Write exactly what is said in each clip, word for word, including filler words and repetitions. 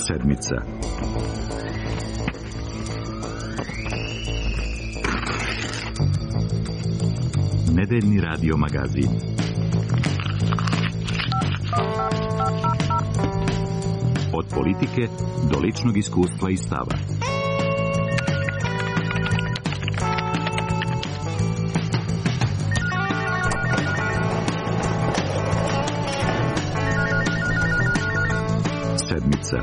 Sedmica. Nedeljni radio magazin. Od politike do ličnog iskustva i stava. Sedmica.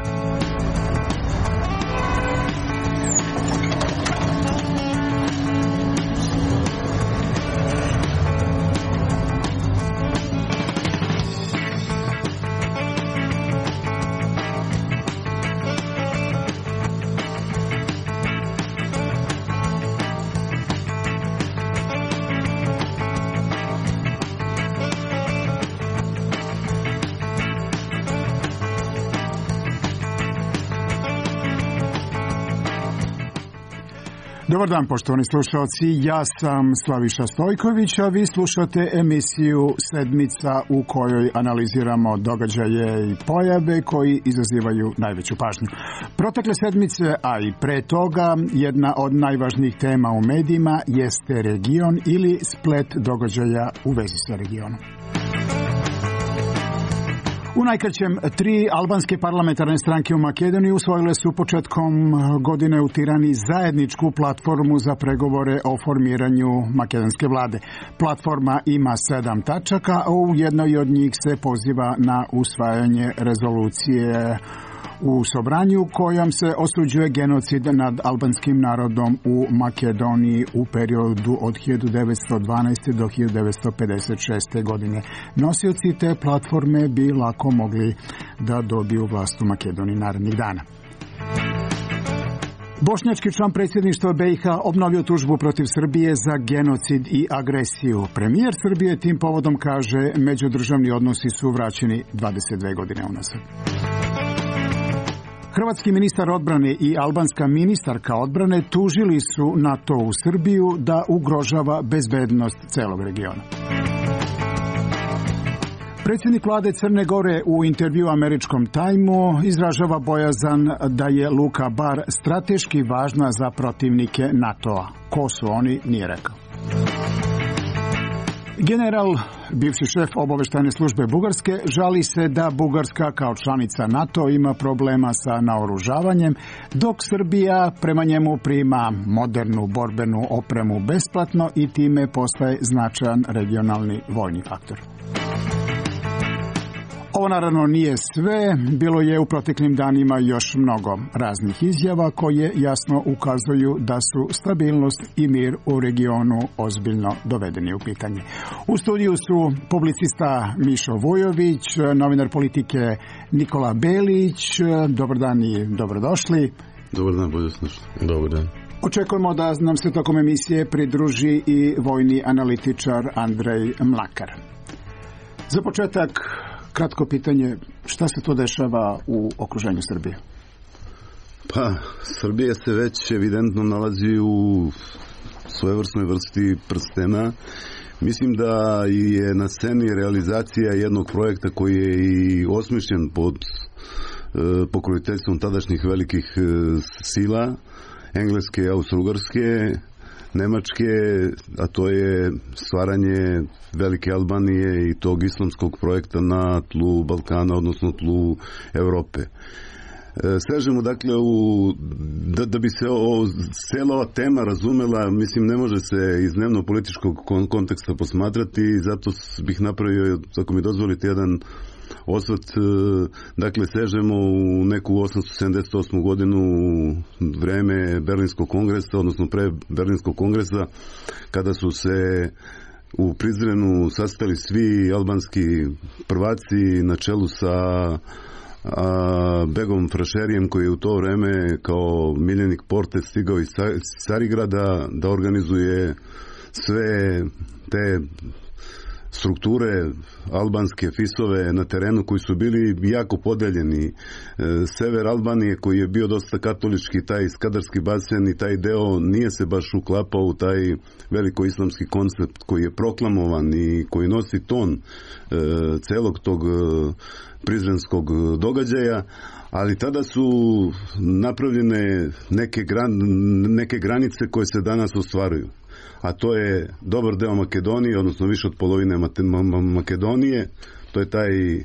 Dobar dan, poštovani slušalci, ja sam Slaviša Stojković, a vi slušate emisiju Sedmica u kojoj analiziramo događaje i pojave koji izazivaju najveću pažnju. Protekle sedmice, a i pre toga, jedna od najvažnijih tema u medijima jeste region ili splet događaja u vezi sa regionom. U najkraćem, tri albanske parlamentarne stranke u Makedoniji usvojile su početkom godine u Tirani zajedničku platformu za pregovore o formiranju makedonske vlade. Platforma ima sedam tačaka, a u jednoj od njih se poziva na usvajanje rezolucije u Sobranju kojom se osuđuje genocid nad albanskim narodom u Makedoniji u periodu od hiljadu devetsto dvanaeste. do hiljadu devetsto pedeset šeste. godine. Nosioci te platforme bi lako mogli da dobiju vlast u Makedoniji narednih dana. Bošnjački član predsjedništva B i H obnovio tužbu protiv Srbije za genocid i agresiju. Premijer Srbije tim povodom kaže međudržavni odnosi su vraćeni dvadeset dve godine unazad. Hrvatski ministar odbrane i albanska ministarka odbrane tužili su NATO u Srbiju da ugrožava bezbednost celog regiona. Predsjednik vlade Crne Gore u intervju američkom Timeu izražava bojazan da je Luka Bar strateški važna za protivnike NATO-a. Ko su oni, nije rekao. General, bivši šef obaveštajne službe Bugarske, žali se da Bugarska kao članica NATO ima problema sa naoružavanjem, dok Srbija prema njemu prima modernu borbenu opremu besplatno i time postaje značajan regionalni vojni faktor. Ovo naravno nije sve, bilo je u proteklim danima još mnogo raznih izjava koje jasno ukazuju da su stabilnost i mir u regionu ozbiljno dovedeni u pitanje. U studiju su publicista Mišo Vujović, novinar politike Nikola Belić. Dobar dan i dobrodošli. Dobar dan, bolje slušati. Dobar dan. Očekujemo da nam se tokom emisije pridruži i vojni analitičar Andrej Mlakar. Za početak, kratko pitanje, šta se to dešava u okruženju Srbije? Pa, Srbija se već evidentno nalazi u svojevrsnoj vrsti prstena. Mislim da je na sceni realizacija jednog projekta koji je i osmišljen pod e, pokroviteljstvom tadašnjih velikih e, sila, Engleske, Austro-Ugarske, Nemačke, a to je stvaranje Velike Albanije i tog islamskog projekta na tlu Balkana, odnosno tlu Evrope. Sežemo dakle u, da, da bi se o, cijela ova tema razumela, mislim ne može se iz dnevno političkog konteksta posmatrati i zato bih napravio, ako mi dozvolite, jedan osvrt. Dakle, sežemo u neku osamsto sedamdeset osmu godinu, vreme Berlinskog kongresa, odnosno pre Berlinskog kongresa, kada su se u Prizrenu sastali svi albanski prvaci na čelu sa a, Begom Frašerijem, koji je u to vreme kao miljenik Porte stigao iz Carigrada da organizuje sve te strukture albanske fisove na terenu koji su bili jako podeljeni. Sever Albanije koji je bio dosta katolički, taj Skadarski basen i taj deo nije se baš uklapao u taj veliko islamski koncept koji je proklamovan i koji nosi ton celog tog prizrenskog događaja, ali tada su napravljene neke, gran, neke granice koje se danas ostvaruju. A to je dobar deo Makedonije, odnosno više od polovine Makedonije, to je taj e,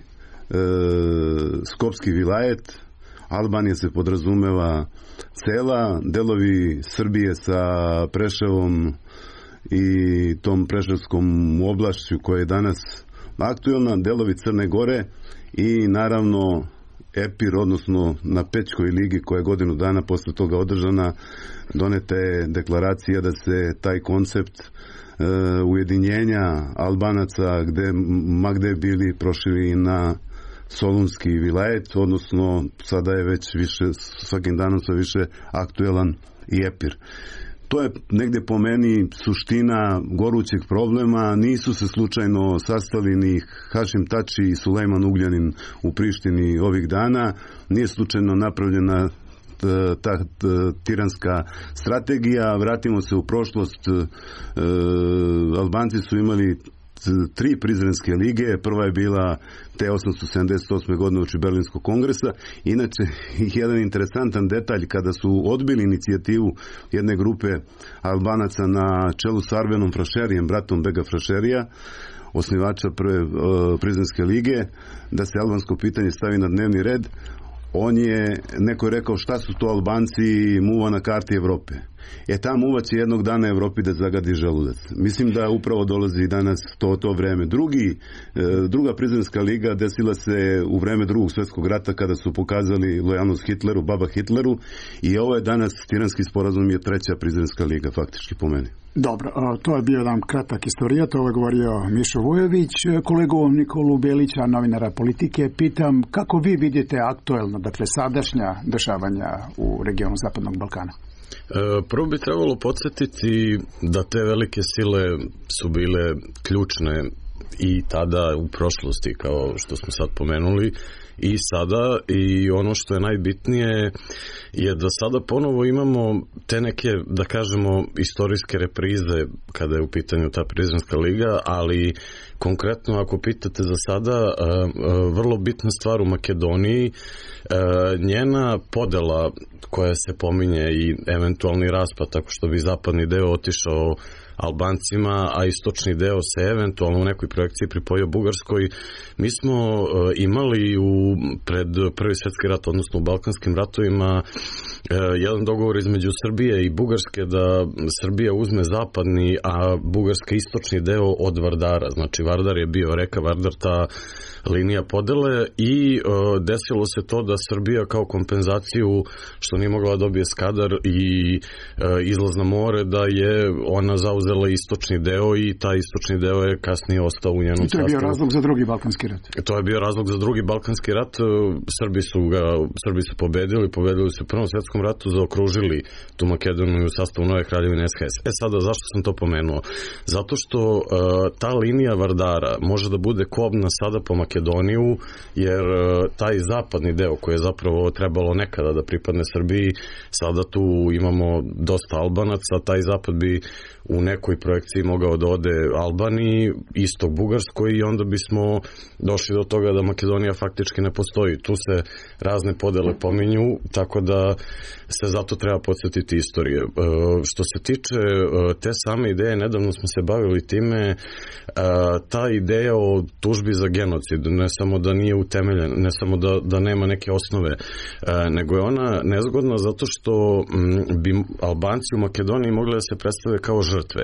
Skopski vilajet, Albanija se podrazumeva cela, delovi Srbije sa Preševom i tom preševskom oblašću koja je danas aktuelna, delovi Crne Gore i naravno Epir, odnosno na Pećkoj ligi koja je godinu dana posle toga održana, doneta je deklaracija da se taj koncept e, ujedinjenja Albanaca gde, ma gde bili prošili na Solunski vilajet, odnosno sada je već više, svakim danom sve više aktuelan i Epir. To je negde po meni suština gorućeg problema. Nisu se slučajno sastali ni Hašim Tači i Sulejman Ugljanin u Prištini ovih dana. Nije slučajno napravljena ta, ta, ta tiranska strategija. Vratimo se u prošlost. E, Albanci su imali tri prizrenske lige, prva je bila te osamsto sedamdeset osme godine uoči Berlinskog kongresa. Inače, jedan interesantan detalj, kada su odbili inicijativu jedne grupe Albanaca na čelu s Arvenom Frašerijem, bratom Bega Frašerija, osnivača prve uh, prizrenske lige, da se albansko pitanje stavi na dnevni red, on je, neko je rekao šta su to Albanci, muva na karti Evrope. E ta muva će jednog dana Evropi da zagadi želudac. Mislim da upravo dolazi danas to, to vreme. Drugi, druga prizrenska liga desila se u vreme drugog svjetskog rata kada su pokazali lojalnost Hitleru, baba Hitleru, i ovo je danas tiranski sporazum je treća prizrenska liga faktički po meni. Dobro, to je bio jedan kratak istorijat, ovo je govorio Mišo Vujović. Kolegu Nikolu Belića, novinara Politike, pitam kako vi vidite aktuelno, dakle sadašnja dešavanja u regionu Zapadnog Balkana? Prvo bi trebalo podsjetiti da te velike sile su bile ključne i tada u prošlosti, kao što smo sad pomenuli, i sada, i ono što je najbitnije je da sada ponovo imamo te neke, da kažemo, istorijske reprize kada je u pitanju ta prizrenska liga, ali konkretno ako pitate za sada, vrlo bitna stvar u Makedoniji, njena podela koja se pominje i eventualni raspad tako što bi zapadni deo otišao Albancima, a istočni deo se eventualno u nekoj projekciji pripojio Bugarskoj. Mi smo imali u, pred Prvi svjetski rat, odnosno u Balkanskim ratovima, jedan dogovor između Srbije i Bugarske da Srbija uzme zapadni, a Bugarska istočni deo od Vardara. Znači Vardar je bio reka Vardar, ta linija podele, i uh, desilo se to da Srbija kao kompenzaciju što nije mogla dobije Skadar i uh, izlaz na more, da je ona zauzela istočni deo i taj istočni deo je kasnije ostao u njenom sastavu. I to je bio razlog za drugi Balkanski rat. To je bio razlog za drugi Balkanski rat. Srbi su ga, Srbi su pobedili, pobedili su u Prvom svjetskom ratu, zaokružili tu Makedoniju u sastavu nove kraljevine S H S. E sada, zašto sam to pomenuo? Zato što uh, ta linija Vardara može da bude kobna sada po Makedoniju, jer uh, taj zapadni deo koji je zapravo trebalo nekada da pripadne Srbiji, sada tu imamo dosta Albanaca, taj zapad bi u nekoj projekciji mogao da ode Albaniji, istok Bugarskoj, i onda bismo došli do toga da Makedonija faktički ne postoji. Tu se razne podele pominju, tako da se zato treba podsjetiti istorije. E, što se tiče e, te same ideje, nedavno smo se bavili time, e, ta ideja o tužbi za genocid, ne samo da nije utemeljena, ne samo da, da nema neke osnove, e, nego je ona nezgodna zato što m, bi Albanci u Makedoniji mogli da se predstave kao žrtve.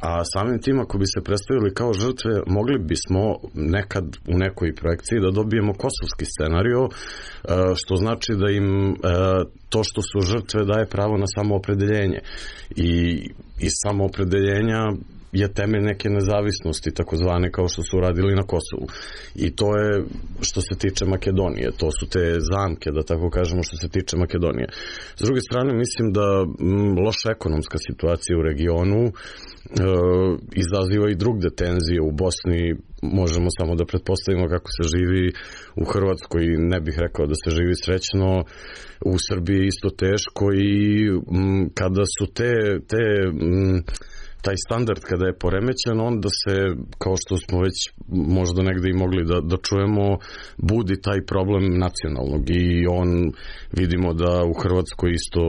A samim tim, ako bi se predstavili kao žrtve, mogli bismo nekad u nekoj projekciji da dobijemo kosovski scenario, što znači da im to što su žrtve daje pravo na samoopredeljenje. I iz samoopredeljenja je temelj neke nezavisnosti, takozvane, kao što su uradili na Kosovu. I to je što se tiče Makedonije. To su te zamke, da tako kažemo, što se tiče Makedonije. S druge strane, mislim da m, loša ekonomska situacija u regionu e, izaziva i drugde tenzije u Bosni. Možemo samo da pretpostavimo kako se živi u Hrvatskoj. Ne bih rekao da se živi srećno. U Srbiji isto teško i m, kada su te, te m, taj standard kada je poremećen, onda se, kao što smo već možda negde i mogli da, da čujemo, budi taj problem nacionalnog i on, vidimo da u Hrvatskoj isto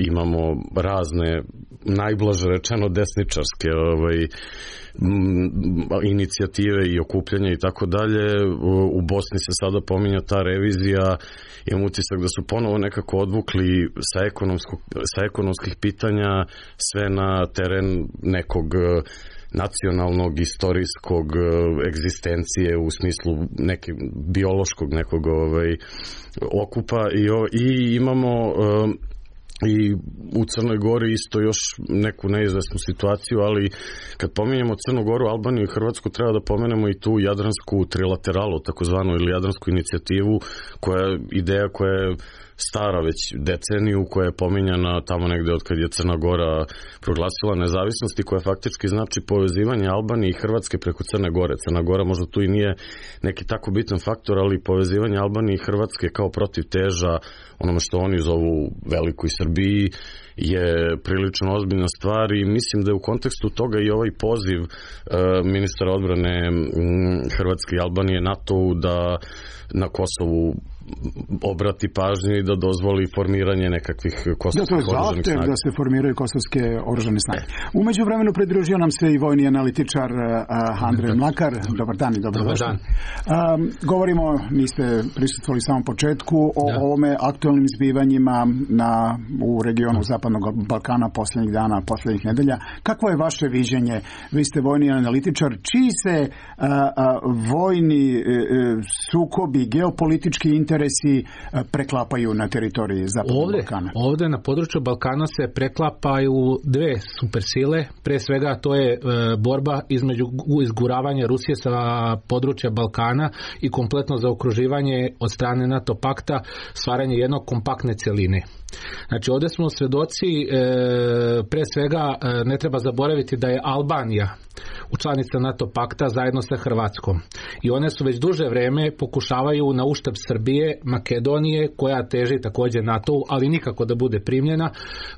imamo razne, najblaže rečeno desničarske ovaj, inicijative i okupljanja i tako dalje. U Bosni se sada pominja ta revizija. Imam utisak da su ponovo nekako odvukli sa, sa ekonomskih pitanja sve na teren nekog nacionalnog, istorijskog egzistencije u smislu neke biološkog nekog ovaj, okupa i, i imamo i u Crnoj Gori isto još neku neizvesnu situaciju, ali kad pominjemo Crnu Goru, Albaniju i Hrvatsku, treba da pomenemo i tu jadransku trilateralu, takozvanu, ili jadransku inicijativu, koja je ideja koja je stara već deceniju, koja je pominjana tamo negde od kad je Crna Gora proglasila nezavisnost i koja faktički znači povezivanje Albanije i Hrvatske preko Crne Gore. Crna Gora možda tu i nije neki tako bitan faktor, ali povezivanje Albanije i Hrvatske kao protiv teža onome što oni zovu Velikoj Srbiji je prilično ozbiljna stvar i mislim da je u kontekstu toga i ovaj poziv e, ministra odbrane Hrvatske i Albanije NATO-u da na Kosovu obrati pažnju i da dozvoli formiranje nekakvih kosovskih da, oružanih snaga. Da se formiraju kosovske oružane snage. Umeđu vremenu pridružio nam se i vojni analitičar uh, Andrej Mlakar. Dobar dan i dobrodošli. Um, govorimo, niste prisustvovali samom početku, o da. ovome aktualnim zbivanjima na, u regionu Zapadnog Balkana posljednjih dana, posljednjih nedelja. Kakvo je vaše viđenje? Vi ste vojni analitičar. Čiji se uh, uh, vojni uh, sukobi, geopolitički interesi preklapaju na teritoriji Zapadnog ovdje, Balkana? Ovdje na području Balkana se preklapaju dve supersile. Pre svega to je e, borba između izguravanja Rusije sa područja Balkana i kompletno zaokruživanje od strane NATO pakta, stvaranje jednog kompaktne cjeline. Znači ovdje smo svedoci, e, pre svega e, ne treba zaboraviti da je Albanija članica NATO pakta zajedno sa Hrvatskom. I one su već duže vreme pokušavaju na uštrb Srbije, Makedonije, koja teži također NATO-u, ali nikako da bude primljena,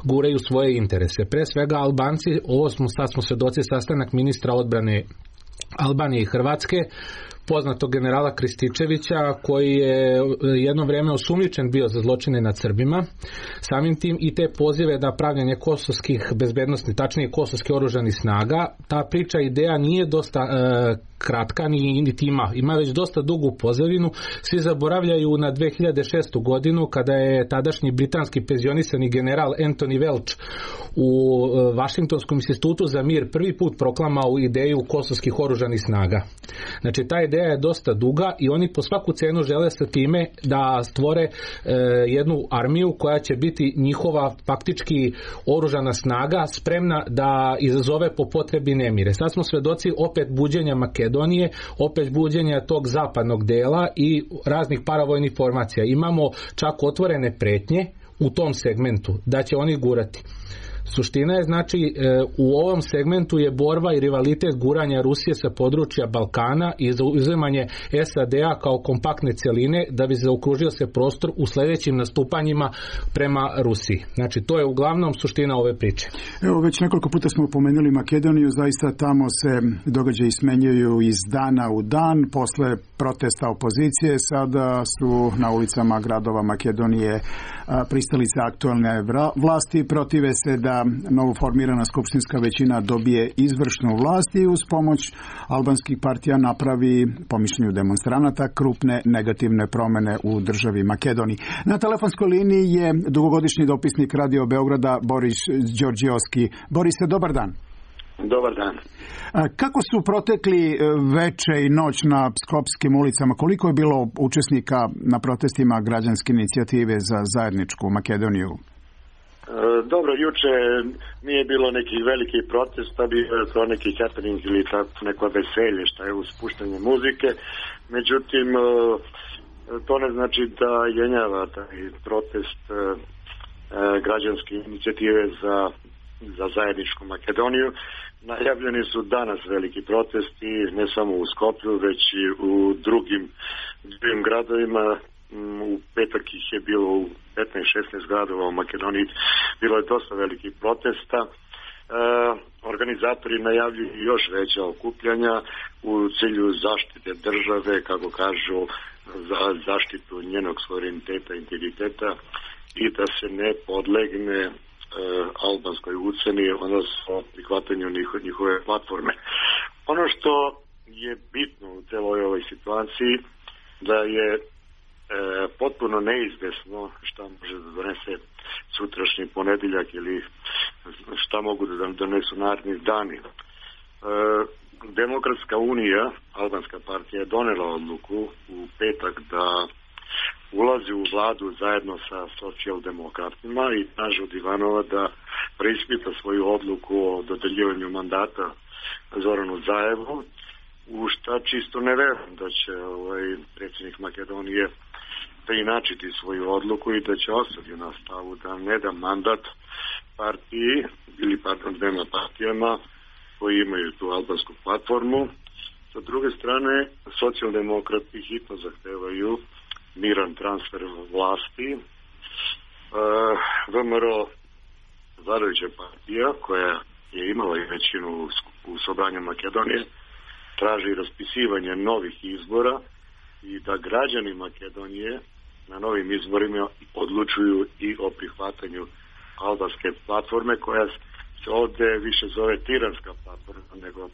guraju svoje interese. Pre svega Albanci, ovo smo, sad smo svedoci sastanak ministra odbrane Albanije i Hrvatske, poznatog generala Krističevića, koji je jedno vrijeme osumnjičen bio za zločine nad Srbima. Samim tim i te pozive da pravljanje kosovskih bezbednosnih, tačnije kosovskih oružanih snaga, ta priča, ideja nije dosta e, kratka, ni, niti ima. Ima već dosta dugu pozadinu. Svi zaboravljaju na dve hiljade šestu godinu, kada je tadašnji britanski penzionisani general Anthony Welch u e, Vašingtonskom institutu za mir prvi put proklamao ideju kosovskih oružanih snaga. Znači, ta ideja je dosta duga i oni po svaku cenu žele sa time da stvore e, jednu armiju koja će biti njihova faktički oružana snaga, spremna da izazove po potrebi nemire. Sad smo svedoci opet buđenja Makedonije, opet buđenja tog zapadnog dela i raznih paravojnih formacija. Imamo čak otvorene pretnje u tom segmentu da će oni gurati. Suština je, znači, u ovom segmentu je borba i rivalitet guranja Rusije sa područja Balkana i zauzimanje S A D-a kao kompaktne cjeline da bi zaokružio se prostor u sljedećim nastupanjima prema Rusiji. Znači, to je uglavnom suština ove priče. Evo, već nekoliko puta smo pomenuli Makedoniju, zaista tamo se događaji smenjuju iz dana u dan, posle protesta opozicije, sada su na ulicama gradova Makedonije pristalice aktualne vlasti, protive se da novoformirana skupštinska većina dobije izvršnu vlast i uz pomoć albanskih partija napravi, po mišljenju demonstranata, krupne negativne promjene u državi Makedoniji. Na telefonskoj liniji je dugogodišnji dopisnik Radio Beograda Boris Đorđiovski. Borise, dobar dan. Dobar dan. Kako su protekli veče i noć na skopskim ulicama? Koliko je bilo učesnika na protestima građanske inicijative za zajedničku Makedoniju? Dobro, juče nije bilo nekih velikih protesta, bilo je to neki happening ili tako neko veselje što je uz puštanje muzike, međutim to ne znači da jenjava taj protest građanske inicijative za, za zajedničku Makedoniju. Najavljeni su danas veliki protesti, ne samo u Skoplju, već i u drugim, drugim gradovima. U petak ih je bilo u petnaest šesnaest gradova u Makedoniji, bilo je dosta velikih protesta. E, organizatori najavljuju još veća okupljanja u cilju zaštite države, kako kažu, za zaštitu njenog suvereniteta, integriteta i da se ne podlegne e, albanskoj uceni, odnosno prihvatanju njihove, njihove platforme. Ono što je bitno u celoj ovoj situaciji da je E, potpuno neizvesno šta može da donese sutrašnji ponedjeljak ili šta mogu da donesu naredni dani. E, Demokratska unija, albanska partija, je donela odluku u petak da ulazi u vladu zajedno sa socijaldemokratima i traži od Ivanova da preispita svoju odluku o dodeljivanju mandata Zoranu Zaevu, u šta čisto ne verujem da će ovaj predsjednik Makedonije preinačiti svoju odluku i da će ostati na stavu da ne da mandat partiji ili pardon dvema partijama koji imaju tu albansku platformu. Sa druge strane, socijaldemokrati hitno zahtevaju miran transfer vlasti. E, V M R O, vladajuća partija koja je imala i većinu u sobranju Makedonije, traži raspisivanje novih izbora i da građani Makedonije na novim izborima odlučuju i o prihvatanju albanske platforme, koja se ovdje više zove tiranska platforma nego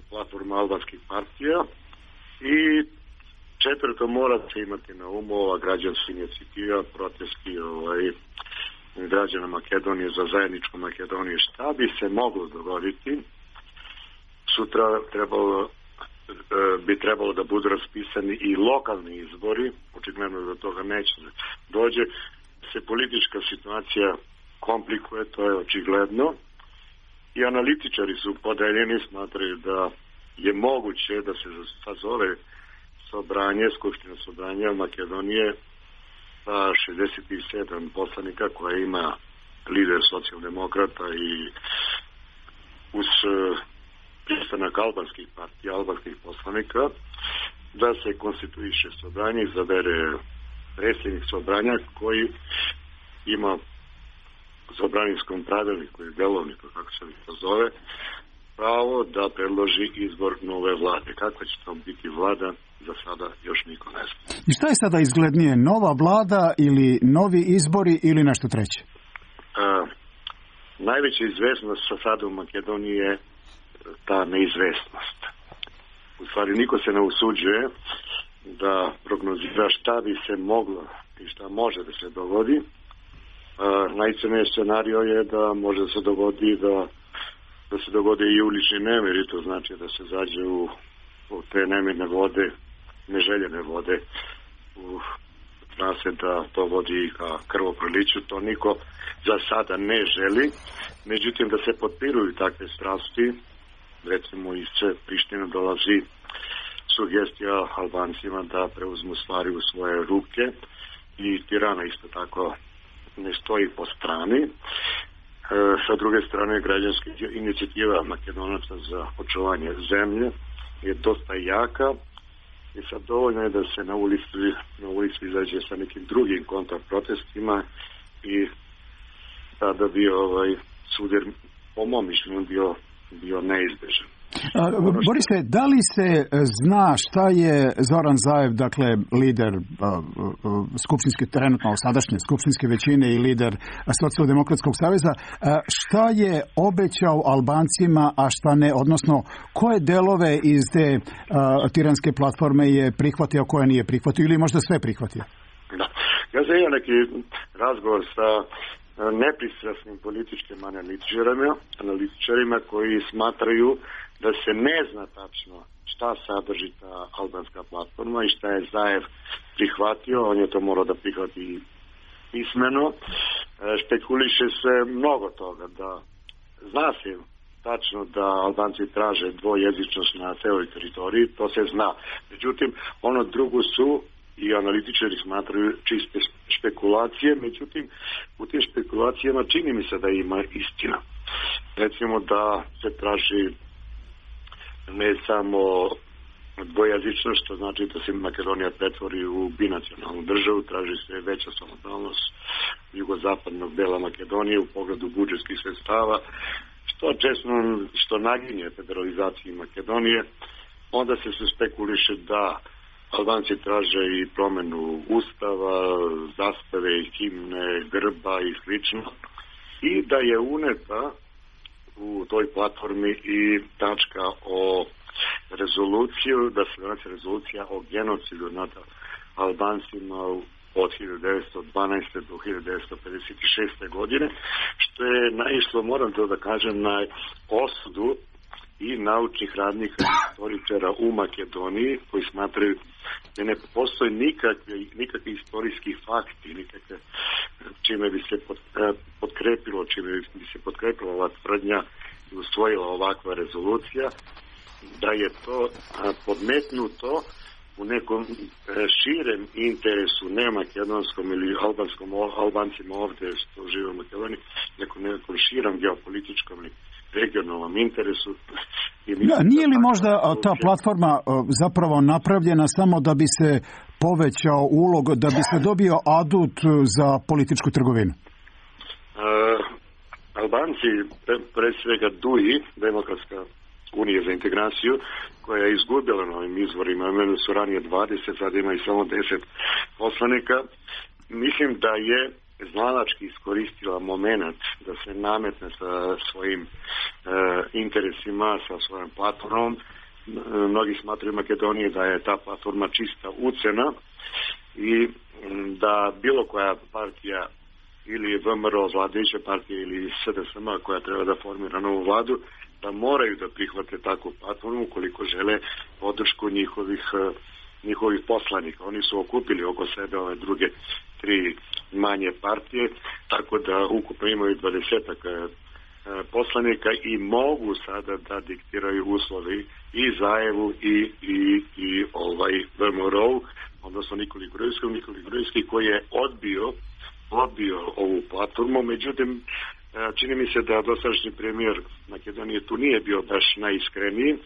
platforma albanskih partija. I četvrto, mora se imati na umu ova građanska inicijativa, protesti ovaj, građana Makedonije za zajedničku Makedoniju. Šta bi se moglo dogoditi? Sutra trebalo, bi trebalo da budu raspisani i lokalni izbori, očigledno da toga neće dođe. Se politička situacija komplikuje, to je očigledno. I analitičari su podeljeni, smatraju da je moguće da se sazove sobranje, skupština sobranja Makedonije sa šezdeset sedam poslanika koje ima lider socijaldemokrata i uz pristanak albanskih partija, albanskih poslanika, da se konstituiše sobranje, izabere predsjednik sobranja koji ima u sobraninskom pravilniku ili delovniku, kako se to zove, pravo da predloži izbor nove vlade. Kakva će to biti vlada, za sada još niko ne zna. I šta je sada izglednije, nova vlada ili novi izbori ili nešto treće? A, najveća izvesnost sa sada u Makedoniji je ta neizvesnost. U stvari niko se ne usuđuje da prognozira šta bi se moglo i šta može da se dogodi. Najcrniji scenario je da može da se dogodi da, da se dogode i ulični nemiri, to znači da se zađe u, u te nemirne vode, neželjene vode, u trase da to vodi ka krvoproliću. To niko za sada ne želi. Međutim, da se potpiruju takve strasti, recimo iz Prištine dolazi sugestija Albancima da preuzmu stvari u svoje ruke i Tirana isto tako ne stoji po strani. E, sa druge strane, građanska inicijativa Makedonaca za očuvanje zemlje je dosta jaka i sad dovoljno je da se na ulici, na ulici izađe sa nekim drugim kontraprotestima i tada bi ovaj sudjer, po mom mišljenju, bio, bio neizbežan. A, Borise, da li se zna šta je Zoran Zaev, dakle lider a, a, skupštinske, trenutno sadašnje skupštinske većine i lider Socijaldemokratskog saveza, a, šta je obećao Albancima, a šta ne, odnosno koje delove iz te a, tiranske platforme je prihvatio, koje nije prihvatio ili možda sve prihvatio? Da. Ja sam imao neki razgovor sa nepristrasnim političkim analitičarima, analitičarima koji smatraju da se ne zna tačno šta sadrži ta albanska platforma i šta je Zaev prihvatio. On je to morao da prihvati pismeno, špekuliše se mnogo toga, da zna se tačno da Albanci traže dvojezičnost na celoj teritoriji, to se zna. Međutim, ono drugo su i analitičari smatraju čiste špekulacije, međutim, u tim špekulacijama čini mi se da ima istina. Recimo da se traži ne samo dvojezičnost, što znači da se Makedonija pretvori u binacionalnu državu, traži se veća samostalnost jugozapadnog dela Makedonije u pogledu budžetskih sredstava, što često što naginje federalizaciji Makedonije. Onda se se spekuliše da Albanci traže i promenu ustava, zastave, himne, grba i slično, i da je uneta u toj platformi i tačka o rezoluciju, da se donese rezolucija o genocidu nad Albancima od hiljadu devetsto dvanaeste do hiljadu devetsto pedeset šeste godine, što je naišlo, moram to da kažem, na osudu i naučnih radnika i istoričara u Makedoniji, koji smatraju da ne postoji nikakve, nikakve istorijski fakti, nikakve čime bi se potkrepilo, čime bi se potkrepila ova tvrdnja i usvojila ovakva rezolucija, da je to podmetnuto u nekom širem interesu, ne makedonskom ili albanskom, Albancima ovdje što žive u Makedoniji, nekom, nekom širom geopolitičkom ili regionalnom interesu. Da, nije li možda ta platforma zapravo napravljena samo da bi se povećao ulog, da bi se dobio adut za političku trgovinu? Uh, Albanci, pre, pre svega D U I, Demokratska unija za integraciju, koja je izgubila na ovim izvorima, imali su ranije dvadeset, sad ima i samo deset poslanika. Mislim da je znalački iskoristila moment da se nametne sa svojim e, interesima, sa svojom platformom. E, mnogi smatraju Makedonije da je ta platforma čista ucena i da bilo koja partija ili V M R O, vladajuća partija, ili S D S M koja treba da formira novu vladu, da moraju da prihvate takvu platformu ukoliko žele podršku njihovih, njihovih poslanika. Oni su okupili oko sebe ove druge tri manje partije, tako da ukupno imaju dvadesetak poslanika i mogu sada da diktiraju uslovi i Zajevu i, i, i ovaj V M R O, odnosno Nikoli Grujevskom, Nikoli Grujevski koji je odbio, odbio ovu platformu. Međutim, čini mi se da dosadašnji premijer Makedonije tu nije bio baš najiskreniji.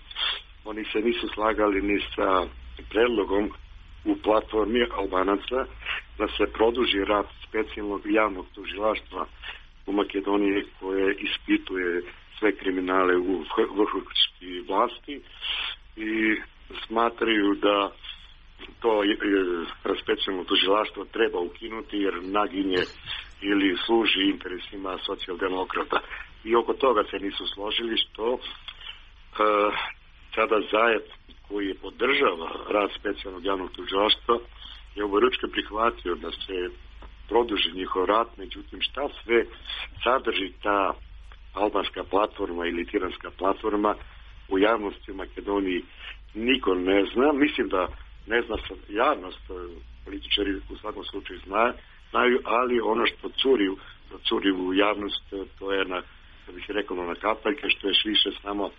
Oni se nisu slagali ni sa predlogom u platformi Albanaca da se produži rad specijalnog javnog tužilaštva u Makedoniji koje ispituje sve kriminale u vrhovskoj vlasti i smatraju da to specijalno tužilaštvo treba ukinuti jer naginje ili služi interesima socijaldemokrata. I oko toga se nisu složili, što uh, sada Zajev koji je podržava rad specijalnog javnog tužilaštva je oboručke prihvatio da se produži njihov rad, međutim šta sve sadrži ta albanska platforma ili tiranska platforma u javnosti u Makedoniji niko ne zna. Mislim da ne zna javnost, političari u svakom slučaju zna, znaju, ali ono što curi, curi u javnost, to je na, da bih rekao, na kapaljke, što još više samo e,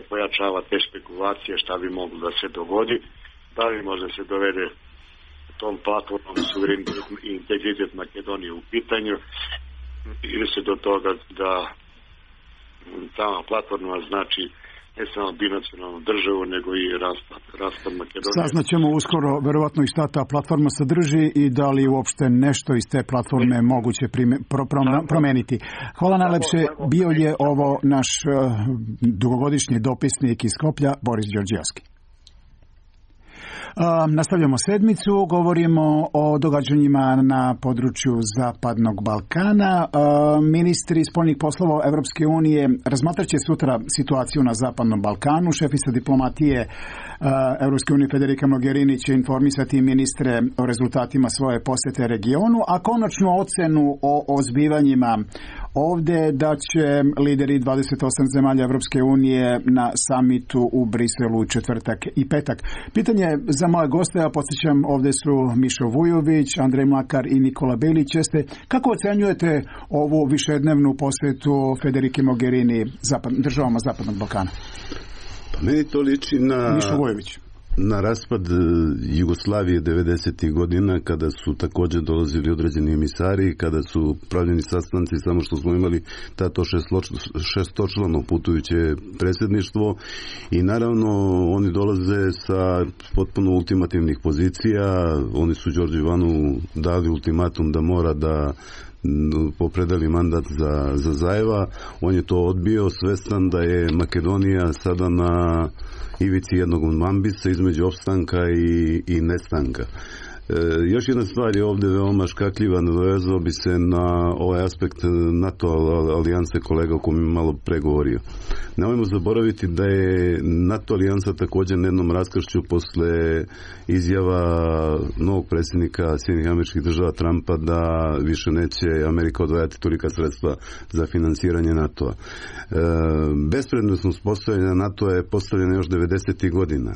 pojačava te špekulacije šta bi moglo da se dogodi, da li može se dovede tom platformom suverenitet i integritet Makedonije u pitanju ili se do toga da ta platforma znači ne samo binacionalnu državu, nego i raspad, raspad Makedonije. Saznaćemo uskoro verovatno i šta ta platforma sadrži i da li uopšte nešto iz te platforme moguće prime, pro, pro, promeniti. Hvala najlepše. Bio je ovo naš uh, dugogodišnji dopisnik iz Skoplja, Boris Đorđijevski. Uh, nastavljamo sedmicu, govorimo o događanjima na području Zapadnog Balkana. Uh, ministri spoljnih poslova Evropske unije razmatraće sutra situaciju na Zapadnom Balkanu. Šefica diplomatije uh, Evropske unije Federica Mogherini će informisati ministre o rezultatima svoje posete regionu, a konačnu ocenu o, o zbivanjima ovde da će lideri dvadeset osam zemalja Evropske unije na samitu u Briselu u četvrtak i petak. Pitanje za moje goste, a podsjećam, ovde su Mišo Vujović, Andrej Mlakar i Nikola Belić. Jeste, kako ocenjujete ovu višednevnu posetu Federike Mogherini zapad, državama Zapadnog Balkana? Pa meni to liči na... Mišo Vujović. Na raspad Jugoslavije devedesetih godina, kada su također dolazili određeni emisari, kada su pravljeni sastanci, samo što smo imali tato šestočlano putujuće predsjedništvo, i naravno oni dolaze sa potpuno ultimativnih pozicija. Oni su Đorđu Ivanu dali ultimatum da mora da popredali mandat za, za Zajeva. On je to odbio, svestan da je Makedonija sada na ivici jednog mambisa između opstanka i, i nestanka. E, još jedna stvar je ovdje veoma škakljiva, nadovezao bi se na ovaj aspekt NATO alijanse, kolega o kojem je malo pregovorio. Nemojmo zaboraviti da je NATO alijansa također na jednom raskršću posle izjava novog predsjednika Sjedinjenih Američkih Država Trumpa da više neće Amerika odvajati tolika sredstva za finansiranje NATO-a. E, bespredmetnost postavljanja NATO-a je postavljena još devedesetih godina,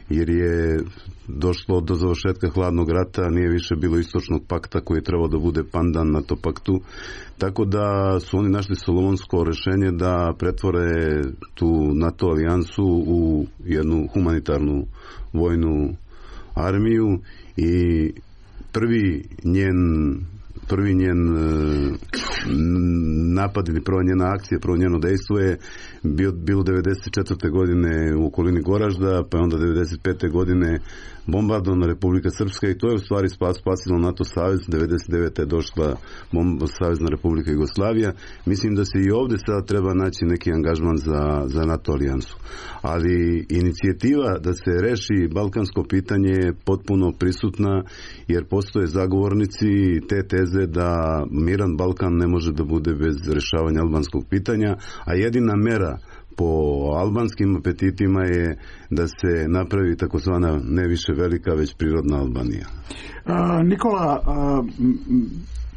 jer je došlo do završetka hladnog rata, nije više bilo istočnog pakta koji je trebao da bude pandan NATO paktu, tako da su oni našli solomonsko rešenje da pretvore tu NATO alijansu u jednu humanitarnu vojnu armiju, i prvi njen prvi njen napad ili prva njena akcija, prvo njeno dejstvo je bilo devedeset četvrte godine u okolini Goražda, pa onda devedeset pete godine bombardovana Republika Srpska, i to je u stvari spas, spasilo NATO savez. devedeset devete je došla bomb, Savezna Republika Jugoslavija. Mislim da se i ovdje sada treba naći neki angažman za, za NATO alijansu. Ali inicijativa da se reši balkansko pitanje je potpuno prisutna, jer postoje zagovornici te teze da miran Balkan ne može da bude bez rešavanja albanskog pitanja, a jedina mera po albanskim apetitima je da se napravi takozvana ne više velika, već prirodna Albanija. A, Nikola, a,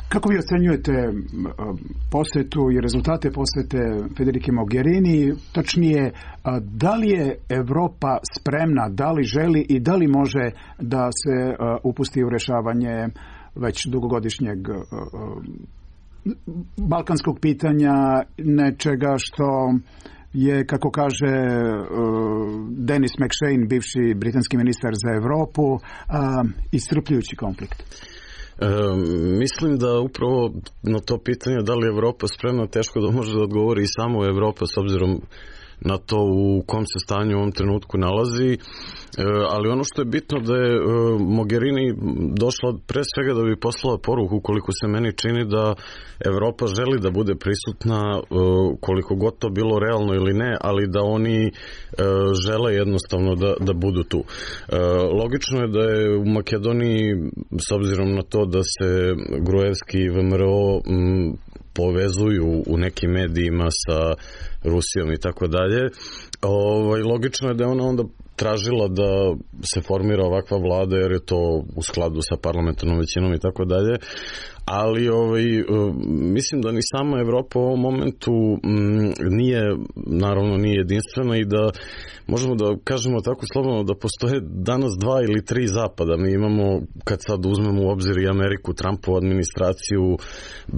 kako vi ocenjujete posetu i rezultate posete Federike Mogherini? Tačnije, a, da li je Evropa spremna, da li želi i da li može da se a, upusti u rešavanje već dugogodišnjeg a, a, balkanskog pitanja, nečega što je, kako kaže uh, Denis McShane, bivši britanski ministar za Evropu, uh, iscrpljujući konflikt? E, mislim da upravo na to pitanje da li je Evropa spremna, teško da može da odgovori i samo Evropa s obzirom na to u kom se stanju u ovom trenutku nalazi, e, ali ono što je bitno da je e, Mogherini došla pre svega da bi poslala poruku, koliko se meni čini, da Evropa želi da bude prisutna, e, koliko god to bilo realno ili ne, ali da oni e, žele jednostavno da, da budu tu. E, logično je da je u Makedoniji, s obzirom na to da se Gruevski i V M R O m, povezuju u nekim medijima sa Rusijom i tako dalje, ovaj, logično je da je ona onda tražila da se formira ovakva vlada, jer je to u skladu sa parlamentarnom većinom i tako dalje, ali ovaj, mislim da ni sama Evropa u ovom momentu m, nije, naravno nije jedinstvena, i da možemo da kažemo tako slobodno da postoje danas dva ili tri zapada. Mi imamo, kad sad uzmemo u obzir i Ameriku, Trumpovu administraciju,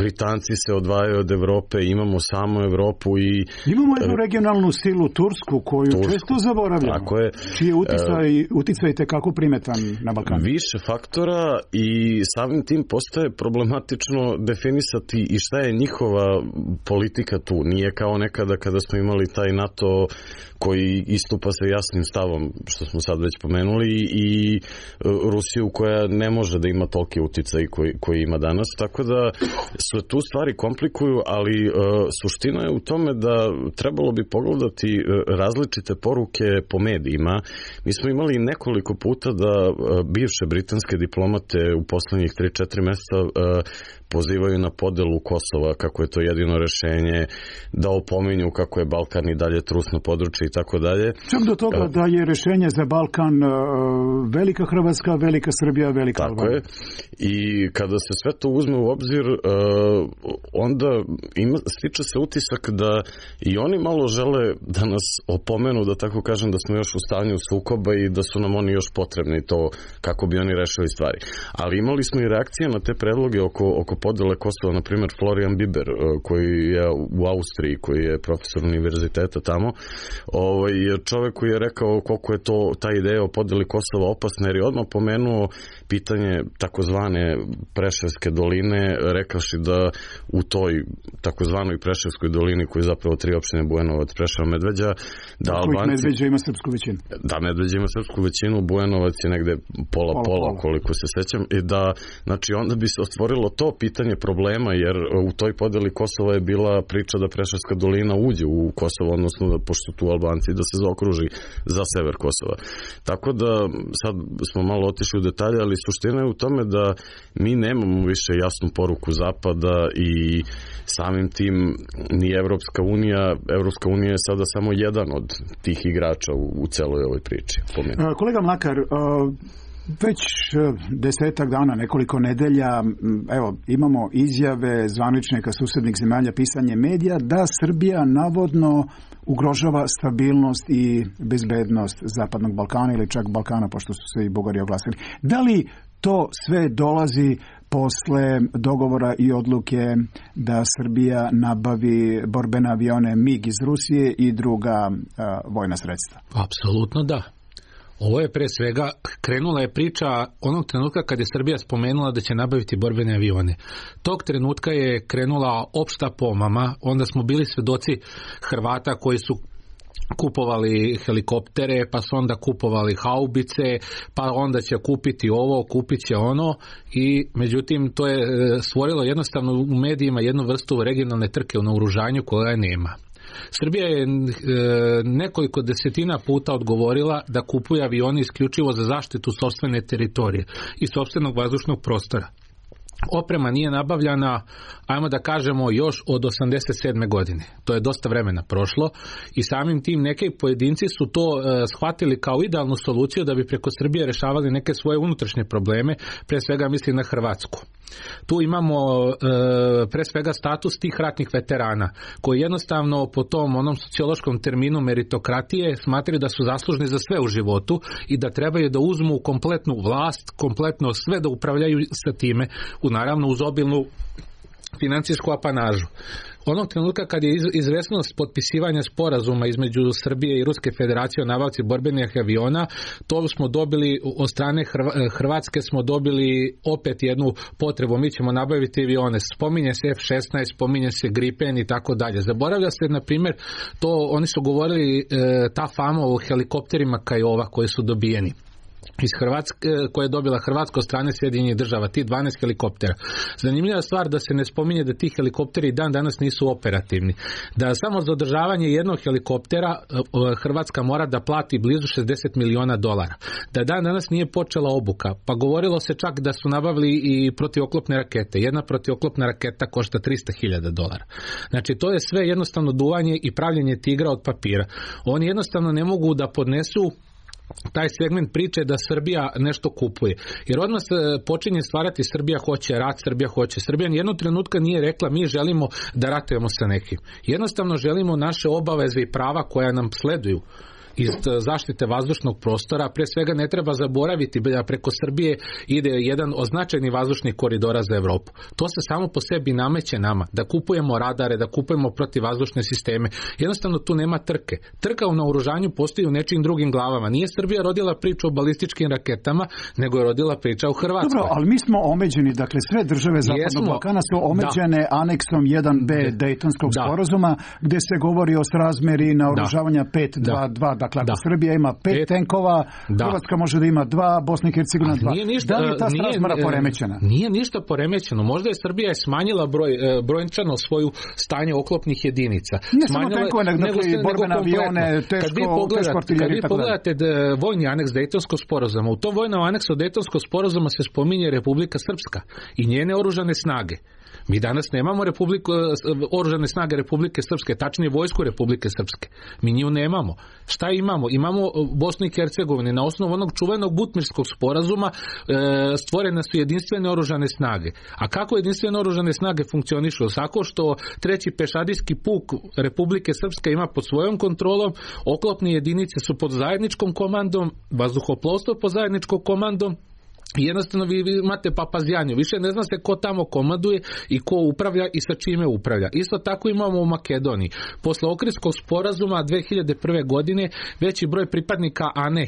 Britanci se odvajaju od Evrope, imamo samo Evropu i... Imamo jednu regionalnu silu Tursku, koju Tursku. često zaboravljamo. Tako je. Čiji je uticaj, uticaj tekako primetan na Balkanu. Više faktora, i samim tim postaje problematično definisati i šta je njihova politika tu. Nije kao nekada kada smo imali taj NATO koji istupa sa jasnim stavom, što smo sad već pomenuli, i Rusiju koja ne može da ima toliki uticaj koji, koji ima danas. Tako da se tu stvari komplikuju, ali uh, suština je u tome da trebalo bi pogledati uh, različite poruke po medijima Mi smo imali nekoliko puta da bivše britanske diplomate u poslednjih tri četiri meseca pozivaju na podelu Kosova, kako je to jedino rešenje, da opominju kako je Balkan i dalje trusno područje i tako dalje. Čak do toga da je rešenje za Balkan velika Hrvatska, velika Srbija, velika Albanija. Tako je. I kada se sve to uzme u obzir, onda ima, stiče se utisak da i oni malo žele da nas opomenu, da tako kažem, da smo još u stanju sukoba i da su nam oni još potrebni to kako bi oni rešili stvari. Ali imali smo i reakcije na te predloge oko, oko podele Kosova, na primjer Florian Biber, koji je u Austriji, koji je profesor univerziteta tamo, ovaj, čovek koji je rekao koliko je to ta ideja o podeli Kosova opasna, jer je odmah pomenuo pitanje takozvane Preševske doline, rekavši da u toj takozvanoj Preševskoj dolini, koji je zapravo tri opštine Bujanovac, Preševo, Medveđa, da Albanci... Medveđa ima srpsku većinu. Da, Medveđa ima srpsku većinu, Bujanovac je negde pola, pola, pola, koliko se sećam, i da, znači, onda bi se otvorilo to pitanje problema, jer u toj podeli Kosova je bila priča da Preševska dolina uđe u Kosovo, odnosno da, pošto tu Albanci, da se zaokruži za sever Kosova. Tako da, sad smo malo otišli u detalje, ali suština je u tome da mi nemamo više jasnu poruku Zapada i samim tim ni Evropska unija, Evropska unija je sada samo jedan od tih igrača u, u celoj ovoj priči. Pomenu. Kolega Mlakar, već desetak dana, nekoliko nedelja, evo, imamo izjave zvaničnika susednih zemalja, pisanje medija, da Srbija navodno ugrožava stabilnost i bezbednost Zapadnog Balkana ili čak Balkana, pošto su se i Bugari oglasili. Da li to sve dolazi posle dogovora i odluke da Srbija nabavi borbene avione MiG iz Rusije i druga a, vojna sredstva? Apsolutno da. Ovo je pre svega, krenula je priča onog trenutka kad je Srbija spomenula da će nabaviti borbene avione. Tog trenutka je krenula opšta pomama, onda smo bili svedoci Hrvata koji su kupovali helikoptere, pa su onda kupovali haubice, pa onda će kupiti ovo, kupit će ono, i međutim to je stvorilo jednostavno u medijima jednu vrstu regionalne trke u naoružanju koja nema. Srbija je nekoliko desetina puta odgovorila da kupuje avioni isključivo za zaštitu sopstvene teritorije i sopstvenog vazdušnog prostora. Oprema nije nabavljana, ajmo da kažemo, još od osamdeset sedme godine. To je dosta vremena prošlo i samim tim neki pojedinci su to e, shvatili kao idealnu soluciju da bi preko Srbije rešavali neke svoje unutrašnje probleme, pre svega mislim na Hrvatsku. Tu imamo e, pre svega status tih ratnih veterana koji jednostavno po tom onom sociološkom terminu meritokratije smatraju da su zaslužni za sve u životu i da trebaju da uzmu kompletnu vlast, kompletno sve da upravljaju sa time, u naravno uz obilnu financijsku apanažu. Onog trenutka kad je izvesnost potpisivanja sporazuma između Srbije i Ruske federacije o nabavci borbenih aviona, to smo dobili od strane Hrvatske, smo dobili opet jednu potrebu, mi ćemo nabaviti avione. Spominje se F šesnaest, spominje se Gripen i tako dalje. Zaboravlja se, na primjer, to oni su govorili e, ta fama o helikopterima Kajova koji su dobijeni iz Hrvatske, koje je dobila Hrvatska od strane Sjedinjenih država, ti dvanaest helikoptera. Zanimljiva stvar da se ne spominje da ti helikopteri dan danas nisu operativni. Da samo za održavanje jednog helikoptera Hrvatska mora da plati blizu šezdeset miliona dolara. Da dan danas nije počela obuka, pa govorilo se čak da su nabavili i protivoklopne rakete. Jedna protivoklopna raketa košta trista hiljada dolara. Znači to je sve jednostavno duvanje i pravljenje tigra od papira. Oni jednostavno ne mogu da podnesu taj segment priče da Srbija nešto kupuje. Jer odmah se počinje stvarati Srbija hoće rat, Srbija hoće. Srbija nijednog trenutka nije rekla mi želimo da ratujemo sa nekim. Jednostavno želimo naše obaveze i prava koja nam sleduju iz zaštite vazdušnog prostora. Pre svega ne treba zaboraviti da preko Srbije ide jedan od značajnih vazdušnih koridora za Evropu. To se samo po sebi nameće nama, da kupujemo radare, da kupujemo protivvazdušne sisteme. Jednostavno tu nema trke. Trka u naoružanju postoji u nečijim drugim glavama. Nije Srbija rodila priču o balističkim raketama, nego je rodila priča u Hrvatskoj. Dobro, ali mi smo omeđeni, dakle sve države Zapadnog Balkana su omeđene da. aneksom jedan be Dejtonskog da. sporazuma, gde se govori o srazmeri naoružavanja pet dva dva. Dakle, ako Da. Srbija ima pet, Pet. tenkova, Da. Hrvatska može da ima dva, Bosna i Hercegovina dva. Nije ništa, Da li je ta nije, srazmera e, poremećena? Nije ništa poremećeno. Možda je Srbija je smanjila broj, e, brojčano svoju stanje oklopnih jedinica. Ne samo Smanjila- tenkove, nego, nego dakle, ste- i borbene nego kompletno. avione, Kad teško, vi pogledate, teško kad artiljeriju vi i tako dalje. pogledate da, vojni aneks Dejtonskog sporazuma, u tom vojnom aneksu Dejtonskog sporazuma se spominje Republika Srpska i njene oružane snage. Mi danas nemamo republiku, oružane snage Republike Srpske, tačnije vojsku Republike Srpske. Mi nju nemamo. Šta imamo? Imamo Bosnu i Hercegovinu. Na osnovu onog čuvenog Butmirskog sporazuma e, stvorene su jedinstvene oružane snage. A kako jedinstvene oružane snage funkcionišu? Tako što treći pešadijski puk Republike Srpske ima pod svojom kontrolom, oklopne jedinice su pod zajedničkom komandom, vazduhoplovstvo pod zajedničkom komandom. Jednostavno vi imate papazjanju, više ne zna se ko tamo komanduje i ko upravlja i sa čime upravlja. Isto tako imamo u Makedoniji. Posle Ohridskog sporazuma dve hiljade prve. godine veći broj pripadnika A N E,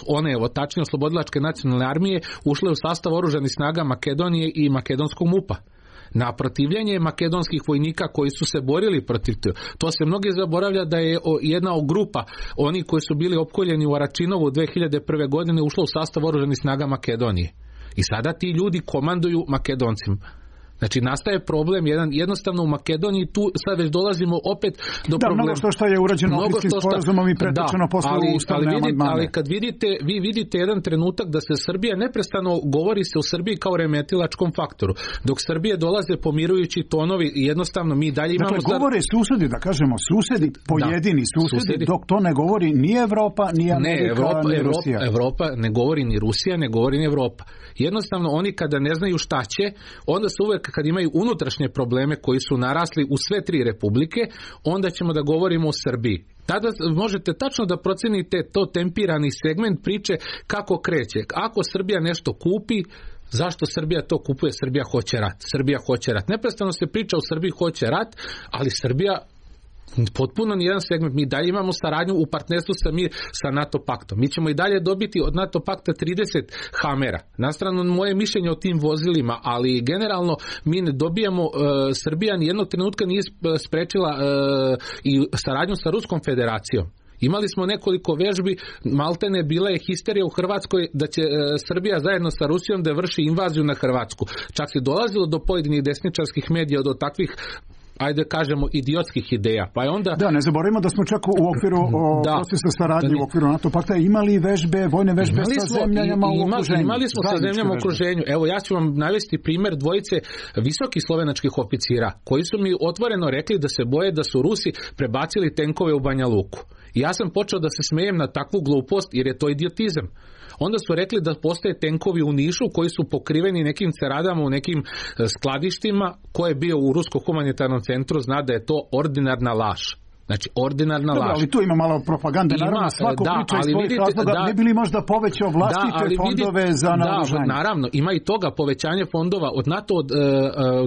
one evo tačnije Oslobodilačke nacionalne armije, ušle u sastav oružanih snaga Makedonije i makedonskog MUP-a. Na protivljenje makedonskih vojnika koji su se borili protiv toga. To se mnogi zaboravlja da je jedna grupa, oni koji su bili opkoljeni u Aračinovu dve hiljade prve. godine ušla u sastav oružanih snaga Makedonije. I sada ti ljudi komanduju Makedoncima. Znači nastaje problem jedan, jednostavno u Makedoniji tu sad već dolazimo opet do da, problema. mnogo što što je urađeno Ohridskim sporazumom i pretočeno da, posle ali, ustavne ali, vidite, amandmane. ali kad vidite, vi vidite jedan trenutak da se Srbija neprestano govori se u Srbiji kao remetilačkom faktoru. Dok Srbije dolaze pomirujući tonovi i jednostavno mi dalje imamo... Dakle, govore susedi, da kažemo susedi, pojedini da, susedi, susedi, dok to ne govori ni Evropa, ni Amerika, ne, Evropa, ni Evropa, Rusija. Evropa ne govori ni Rusija, ne govori ni Evropa. Jednostavno oni kada ne znaju šta će, onda se uvek kad imaju unutrašnje probleme koji su narasli u sve tri republike, onda ćemo da govorimo o Srbiji. Tada možete tačno da procenite to tempirani segment priče kako kreće. Ako Srbija nešto kupi, zašto Srbija to kupuje? Srbija hoće rat. Srbija hoće rat. Neprestano se priča o Srbiji hoće rat, ali Srbija potpuno nijedan segment. Mi dalje imamo saradnju u partnerstvu sa mir sa NATO paktom. Mi ćemo i dalje dobiti od NATO pakta trideset Hamera. Nastrano moje mišljenje o tim vozilima, ali generalno mi ne dobijamo, uh, Srbija nijednog trenutka nije sprečila uh, i saradnju sa Ruskom federacijom. Imali smo nekoliko vežbi, maltene bila je histerija u Hrvatskoj da će e, Srbija zajedno sa Rusijom da vrši invaziju na Hrvatsku. Čak se dolazilo do pojedinih desničarskih medija do takvih, ajde kažemo, idiotskih ideja. Pa je onda... Da, ne zaboravimo da smo čak u okviru o, da, procesa saradnje u okviru NATO pakta imali vežbe, vojne vežbe imali sa smo, zemljama i, u okruženju. Imali smo sa zemljama u okruženju. Evo, ja ću vam navesti primjer dvojice visokih slovenačkih oficira, koji su mi otvoreno rekli da se boje da su Rusi prebacili tenkove u Banja Luku. I ja sam počeo da se smejem na takvu glupost jer je to idiotizam. Onda su rekli da postoje tenkovi u Nišu koji su pokriveni nekim ceradama u nekim skladištima. Ko je bio u Rusko humanitarnom centru zna da je to ordinarna laž. Znači, ordinarna Dobro, laž. ali tu ima malo propagande, Ima, naravno svako da, priča iz ali svojih vidite, razloga, da, ne bi li možda povećao vlastite da, fondove vidite, za naoružanje? Da, naravno, ima i toga povećanje fondova od NATO, od, uh,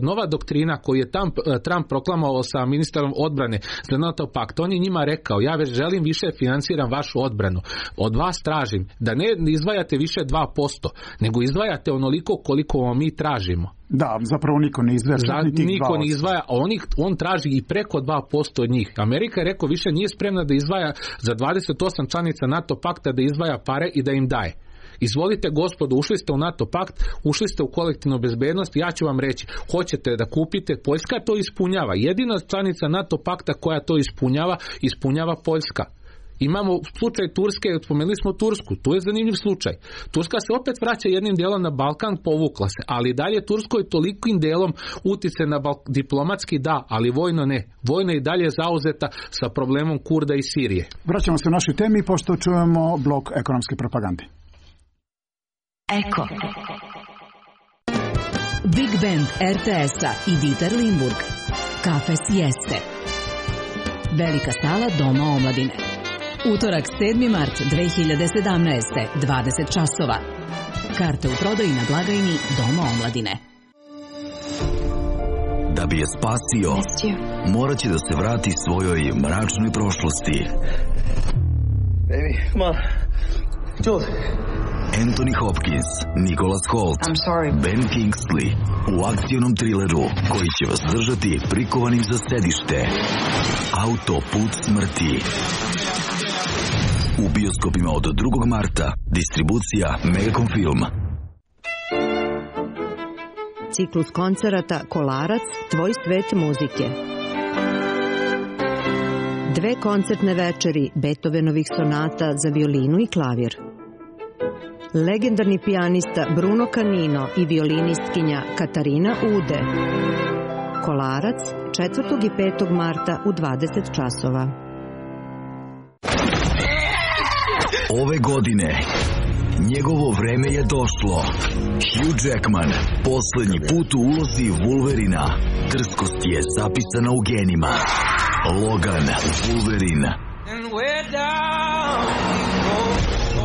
nova doktrina koju je Trump, uh, Trump proklamovao sa ministrom odbrane za NATO pakt, on je njima rekao, ja već želim više financiram vašu odbranu, od vas tražim da ne izdvajate više dva posto, nego izdvajate onoliko koliko vam mi tražimo. Da, zapravo niko ne izdvaja. Za, niko ne izdvaja, a on, on traži i preko dva posto od njih. Amerika je rekao više nije spremna da izdvaja za dvadeset osam članica NATO pakta da izdvaja pare i da im daje. Izvolite gospodo, ušli ste u NATO pakt, ušli ste u kolektivnu bezbednost, ja ću vam reći, hoćete da kupite, Poljska to ispunjava. Jedina članica NATO pakta koja to ispunjava, ispunjava Poljska. Imamo slučaj Turske, spomenuli smo Tursku, tu je zanimljiv slučaj. Turska se opet vraća jednim delom na Balkan, povukla se, ali dalje Turskoj tolikim delom utice na Balk, diplomatski da, ali vojno ne. Vojno je dalje zauzeta sa problemom Kurda i Sirije. Vraćamo se u našoj temi, pošto čujemo blok ekonomske propagande. Eko. Big Band er te es-a i Dieter Limburg. Kafe Sieste. Velika sala Doma omladine. Utorak sedmi mart dve hiljade sedamnaeste. dvadeset časova. Karte u prodaji na blagajni Doma omladine. Da bi je spasio, morat će da se vrati svojoj mračnoj prošlosti. Baby, come on. Jules. Anthony Hopkins, Nicholas Hoult, Ben Kingsley u akcionom trileru koji će vas držati prikovanim za sedište. Autoput smrti. u bioskopima od drugog marta. Distribucija Megacom Film. Ciklus koncerata Kolarac, tvoj svet muzike. Dve koncertne večeri Beethovenovih sonata za violinu i klavir. Legendarni pijanista Bruno Canino i violinistkinja Katarina Ude. Kolarac, četvrtog i petog marta u dvadeset časova. Ove godine njegovo vreme je došlo. Hugh Jackman, poslednji put u ulozi Wolverina. Drskost je zapisana u genima. Logan, Wolverine.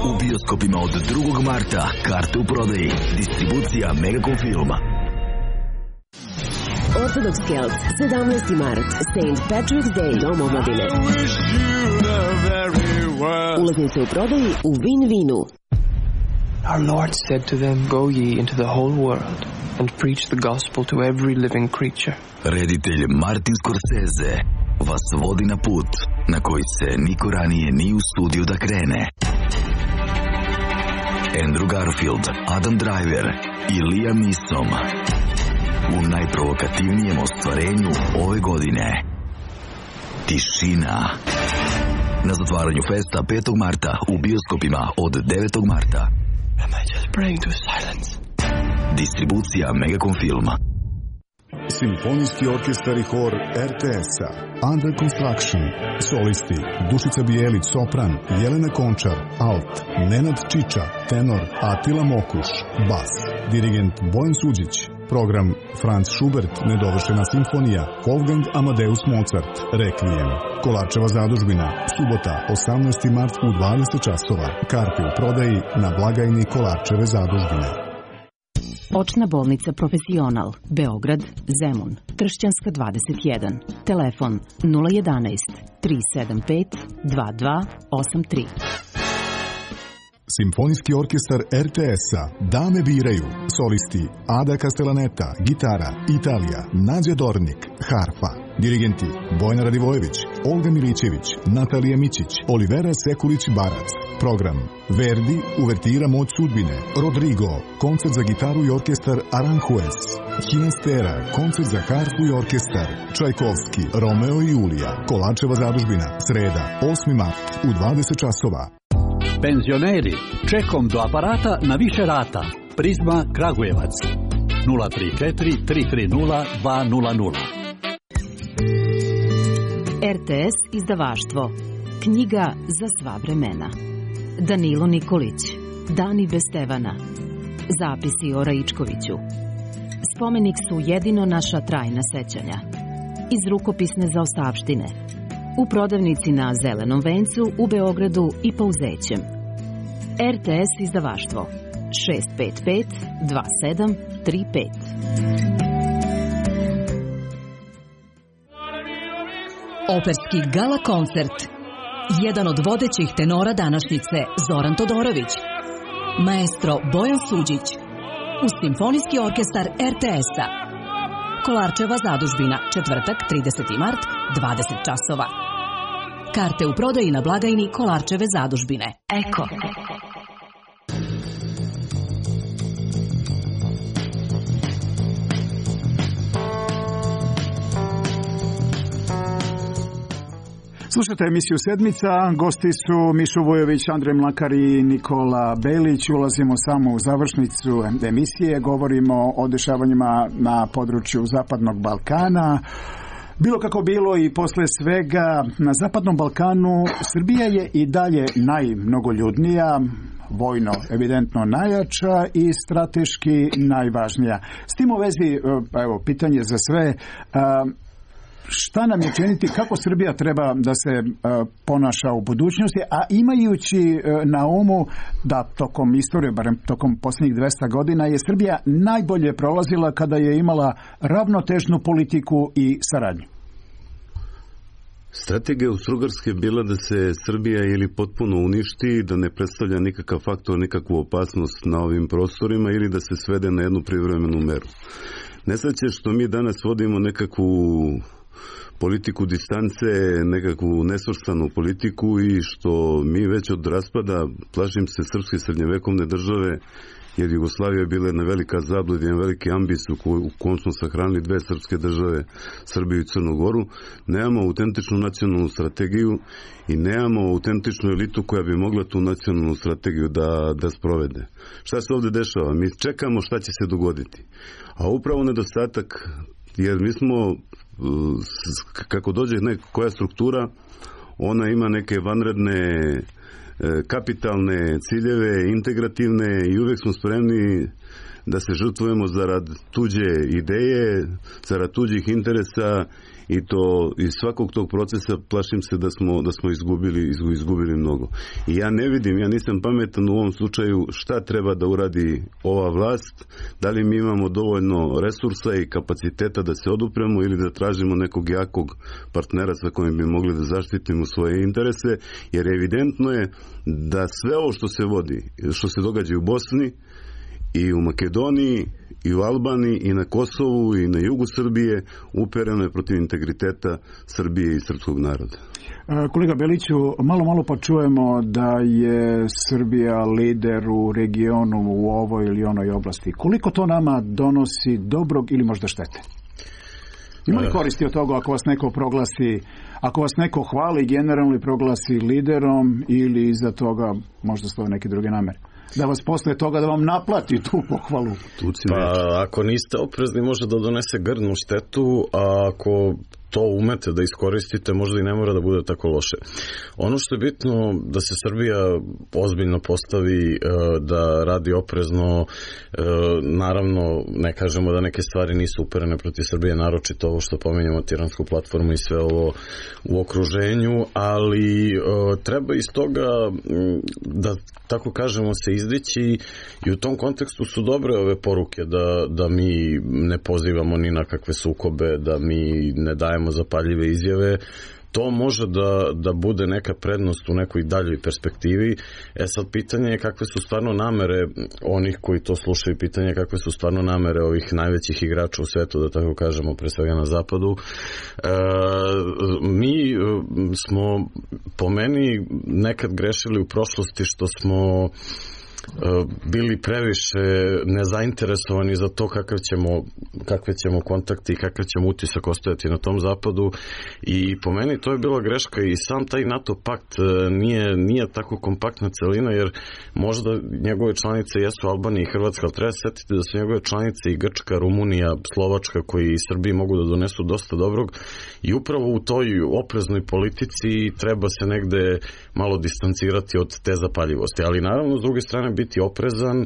U bioskopima od drugog marta. Karte u prodaji. Distribucija Megacom Filma. Orthodox Celts, sedamnaesti mart, Saint Patrick's Day, Dom omladine. Ulaznice u prodaji u Win Winu. Our Lord said to them, Go ye into the whole world and preach the gospel to every living creature. Reditelj Martin Scorsese vas vodi na put na koji se niko ranije nije usudio da krene. Andrew Garfield, Adam Driver i Liam Neeson u najprovokativnijem ostvarenju ove godine. Tišina. Na zatvaranju festa petog marta u bioskopima od devetog marta. Am I just praying to silence? Distribucija Megacom Filma. Simfonijski orkestar i hor er te es-a. Under Construction. Solisti Dušica Bijelić, sopran, Jelena Končar, alt, Nenad Čiča, tenor, Atila Mokuš, bas, dirigent Bojan Suđić. Program Franz Schubert, nedovršena simfonija, Wolfgang Amadeus Mozart, Requiem. Kolarčeva zadužbina, subota, osamnaesti mart u dvadeset časova. Karte u prodaji na blagajni Kolarčeve zadužbine. Očna bolnica Profesional, Beograd, Zemun, Kršćanska dvadeset jedan. Telefon nula jedanaest, tri sedam pet, dva dva osam tri. Simfonijski orkestar er te es-a. Dame biraju. Solisti Ada Castellaneta, gitara, Italija, Nađa Dornik, harfa. Dirigenti Bojana Radivojević, Olga Milićević, Natalija Mićić, Olivera Sekulić-Barac. Program Verdi, uvertira Moć sudbine, Rodrigo, koncert za gitaru i orkestar Aranjuez, Hinastera, koncert za harfu i orkestar, Čajkovski, Romeo i Julija, Kolarčeva zadužbina, sreda, osmi mart u dvadeset časova. Penzioneri, čekom do aparata na više rata. Prizma Kragujevac. nula tri četiri, tri tri nula, dva nula nula. er te es izdavaštvo. Knjiga za sva vremena. Danilo Nikolić. Dani bez Stevana. Zapisi o Raičkoviću. Spomenik su jedino naša trajna sećanja. Iz rukopisne zaostavštine. U prodavnici na Zelenom vencu u Beogradu i Pauzećem. er te es izdavaštvo šest pet pet, dva sedam, tri pet. Operski gala koncert. Jedan od vodećih tenora današnjice Zoran Todorović. Maestro Bojan Suđić. Uz Simfonijski orkestar er te es-a. Kolarčeva zadužbina, četvrtak, trideseti mart, dvadeset časova. Karte u prodaji na blagajni Kolarčeve zadužbine. Eko. Slušajte emisiju Sedmica, gosti su Mišo Vujović, Andrej Mlakar i Nikola Belić. Ulazimo samo u završnicu emisije, govorimo o dešavanjima na području Zapadnog Balkana. Bilo kako bilo i posle svega, na Zapadnom Balkanu Srbija je i dalje najmnogoljudnija, vojno evidentno najjača i strateški najvažnija. S tim u vezi, evo, pitanje za sve, šta nam je činiti, kako Srbija treba da se ponaša u budućnosti, a imajući na umu da tokom istorije, barem tokom posljednjih dvesta godina, je Srbija najbolje prolazila kada je imala ravnotežnu politiku i saradnju. Strategija Austro-Ugarske je bila da se Srbija ili potpuno uništi, da ne predstavlja nikakav faktor, nikakvu opasnost na ovim prostorima ili da se svede na jednu privremenu meru. Nesreće što mi danas vodimo nekakvu politiku distance, nekakvu nesvrstanu politiku i što mi već od raspada, plašim se, srpske srednjevekovne države, jer Jugoslavija je bila jedna velika zablud, jedan veliki ambis u kojem smo sahranili dve srpske države, Srbiju i Crnu Goru, nemamo autentičnu nacionalnu strategiju i nemamo autentičnu elitu koja bi mogla tu nacionalnu strategiju da, da sprovede. Šta se ovde dešava? Mi čekamo šta će se dogoditi. A upravo nedostatak, jer mi smo, kako dođe neka koja struktura, ona ima neke vanredne kapitalne ciljeve, integrativne i uvek smo spremni da se žrtvujemo zarad tuđe ideje, zarad tuđih interesa i to iz svakog tog procesa plašim se da smo, da smo izgubili, izgubili mnogo. I ja ne vidim, ja nisam pametan u ovom slučaju šta treba da uradi ova vlast, da li mi imamo dovoljno resursa i kapaciteta da se odupremo ili da tražimo nekog jakog partnera sa kojim bi mogli da zaštitimo svoje interese, jer evidentno je da sve ovo što se vodi, što se događa u Bosni i u Makedoniji i u Albaniji i na Kosovu i na jugu Srbije upereno je protiv integriteta Srbije i srpskog naroda. Kolega Beliću, malo malo pa čujemo da je Srbija lider u regionu u ovoj ili onoj oblasti. Koliko to nama donosi dobrog ili možda štete? Ima li koristi od toga ako vas neko proglasi, ako vas neko hvali generalno i proglasi liderom ili iza toga možda stoje neke druge namere? Da vas posle toga da vam naplati tu pohvalu. Pa ako niste oprezni može da donese grdnu štetu, a ako to umete da iskoristite možda i ne mora da bude tako loše. Ono što je bitno da se Srbija ozbiljno postavi, da radi oprezno, naravno ne kažemo da neke stvari nisu uperene protiv Srbije, naročito ovo što pominjamo tiransku platformu i sve ovo u okruženju, ali treba iz toga da tako kažemo se izdići i u tom kontekstu su dobre ove poruke da, da mi ne pozivamo ni na kakve sukobe, da mi ne dajemo zapaljive izjave. To može da, da bude neka prednost u nekoj daljoj perspektivi. E sad pitanje je kakve su stvarno namere onih koji to slušaju, pitanje je kakve su stvarno namere ovih najvećih igrača u svetu, da tako kažemo, pre svega na zapadu. E, mi smo po meni nekad grešili u prošlosti što smo bili previše nezainteresovani za to kakav ćemo, kakve ćemo kontakte i kakav ćemo utisak ostajati na tom zapadu i po meni to je bila greška i sam taj NATO pakt nije, nije tako kompaktna celina jer možda njegove članice jesu Albanija i Hrvatska, ali treba se setiti da su njegove članice i Grčka, Rumunija, Slovačka koji i Srbiji mogu da donesu dosta dobrog i upravo u toj opreznoj politici treba se negde malo distancirati od te zapaljivosti, ali naravno s druge strane biti oprezan, e,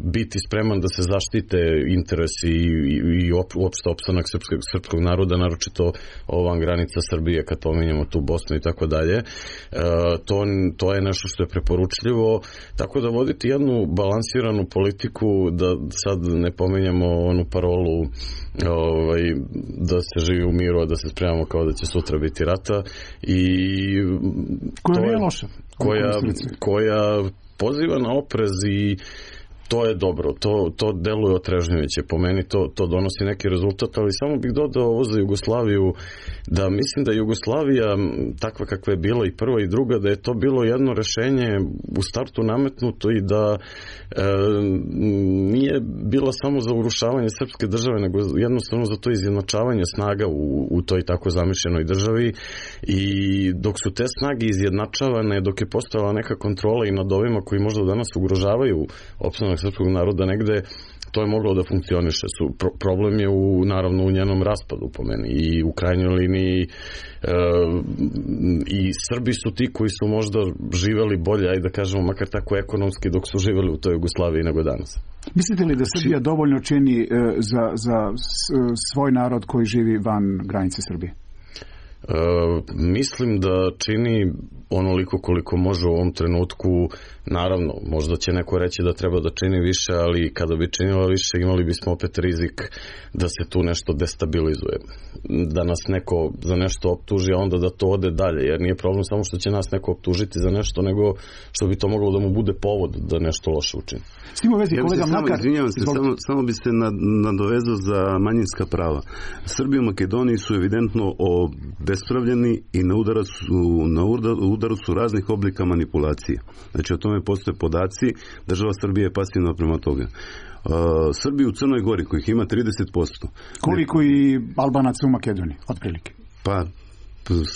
biti spreman da se zaštite interesi i, i uopšte opstanak srpskog, srpskog naroda, naročito ovan granica Srbije kad pominjamo tu Bosnu i tako dalje. To, to je nešto što je preporučljivo, tako da voditi jednu balansiranu politiku, da sad ne pominjamo onu parolu ovaj, da se živi u miru, a da se spremamo kao da će sutra biti rata i koja nije loša, koja, koja poziva na oprez i to je dobro, to, to deluje otrežnjujuće, po meni to, to donosi neki rezultat, ali samo bih dodao ovo za Jugoslaviju, da mislim da Jugoslavija, takva kakva je bila i prva i druga, da je to bilo jedno rešenje u startu nametnuto i da e, nije bilo samo za urušavanje srpske države, nego jednostavno za to izjednačavanje snaga u, u toj tako zamišljenoj državi i dok su te snage izjednačavane, dok je postojala neka kontrola i nad ovima koji možda danas ugrožavaju opstanak srpskog naroda negde, to je moglo da funkcioniše. Su, pro, problem je u, naravno u njenom raspadu po meni i u krajnjoj liniji e, i Srbi su ti koji su možda živeli bolje, ajde da kažemo makar tako ekonomski dok su živeli u toj Jugoslaviji nego danas. Mislite li da Srbija dovoljno čini e, za, za svoj narod koji živi van granice Srbije? E, mislim da čini onoliko koliko može u ovom trenutku. Naravno, možda će neko reći da treba da čini više, ali kada bi činila više imali bismo opet rizik da se tu nešto destabilizuje, da nas neko za nešto optuži, a onda da to ode dalje, jer nije problem samo što će nas neko optužiti za nešto, nego što bi to moglo da mu bude povod da nešto loše učini. S tim u vezi, kolega Mlakar, izvinjavam se, samo, samo bi se nadovezao za manjinska prava. Srbi u Makedoniji su evidentno obespravljeni i na udaru su, na udaru su raznih oblika manipulacije. Znači, o tome postoje podaci, država Srbije je pasivna prema toga. Uh, Srbi u Crnoj Gori, kojih ima trideset posto. Koliko i Albanaca u Makedoniji, otprilike? Pa,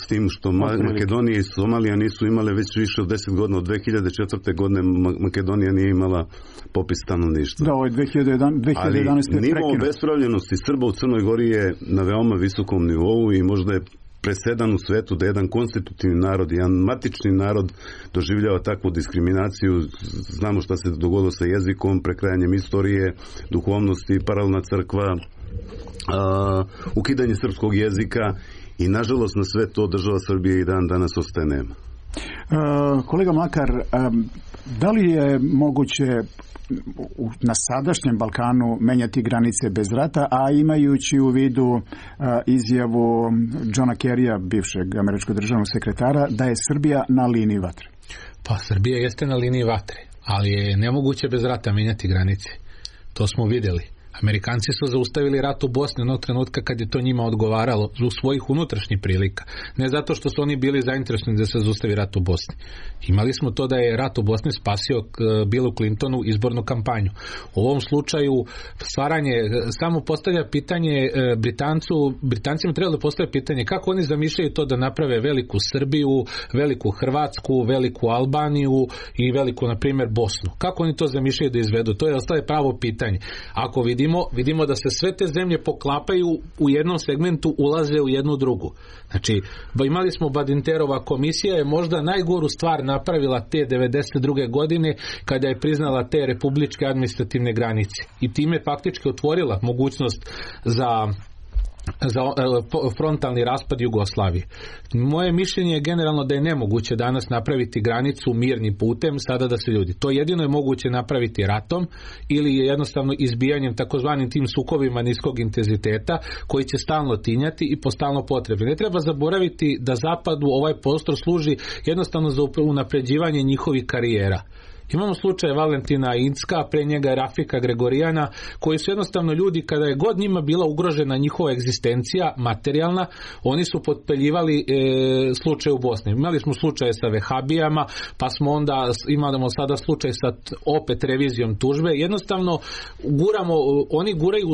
s tim što Makedonija i Somalija nisu imale već više od deset godina, od dve hiljade četvrte godine Makedonija nije imala popis stanovništva. Da, ovo je dve hiljade jedanaeste. Ali nivo obespravljenosti Srba u Crnoj Gori je na veoma visokom nivou i možda je presedan u svetu da jedan konstitutivni narod, jedan matični narod doživljava takvu diskriminaciju. Znamo šta se dogodilo sa jezikom, prekrajanjem istorije, duhovnosti, paralelna crkva, a, ukidanje srpskog jezika i nažalost na sve to država Srbije i dan danas ostaje nema. Uh, kolega Mlakar, um, da li je moguće na sadašnjem Balkanu menjati granice bez rata, a imajući u vidu uh, izjavu Johna Kerrya, bivšeg američkog državnog sekretara, da je Srbija na liniji vatre? Pa Srbija jeste na liniji vatre, ali je nemoguće bez rata menjati granice. To smo vidjeli. Amerikanci su zaustavili rat u Bosni onog trenutka kad je to njima odgovaralo zbog svojih unutrašnjih prilika. Ne zato što su oni bili zainteresovani da se zaustavi rat u Bosni. Imali smo to da je rat u Bosni spasio Billu Clintonu izbornu kampanju. U ovom slučaju stvaranje, samo postavlja pitanje Britancu, Britancima treba da postavlja pitanje kako oni zamišljaju to da naprave veliku Srbiju, veliku Hrvatsku, veliku Albaniju i veliku, na primjer, Bosnu. Kako oni to zamišljaju da izvedu? To je ostaje pravo pitanje. Ako vidimo Vidimo, vidimo da se sve te zemlje poklapaju u jednom segmentu, ulaze u jednu drugu. Znači, imali smo Badinterova komisija je možda najgoru stvar napravila te devedeset druge godine kada je priznala te republičke administrativne granice. I time faktički otvorila mogućnost za za frontalni raspad Jugoslavije. Moje mišljenje je generalno da je nemoguće danas napraviti granicu mirnim putem sada da se ljudi. To jedino je moguće napraviti ratom ili je jednostavno izbijanjem takozvanim tim sukobima niskog intenziteta koji će stalno tinjati i po stalno potrebi. Ne treba zaboraviti da zapadu ovaj prostor služi jednostavno za unapređivanje njihovih karijera. Imamo slučaj Valentina Incka, pre njega je Rafika Gregorijana, koji su jednostavno ljudi, kada je god njima bila ugrožena njihova egzistencija materijalna, oni su potpeljivali e, slučaj u Bosni. Imali smo slučaje sa vehabijama, pa smo onda imamo sada slučaj sa opet revizijom tužbe. Jednostavno guramo, oni guraju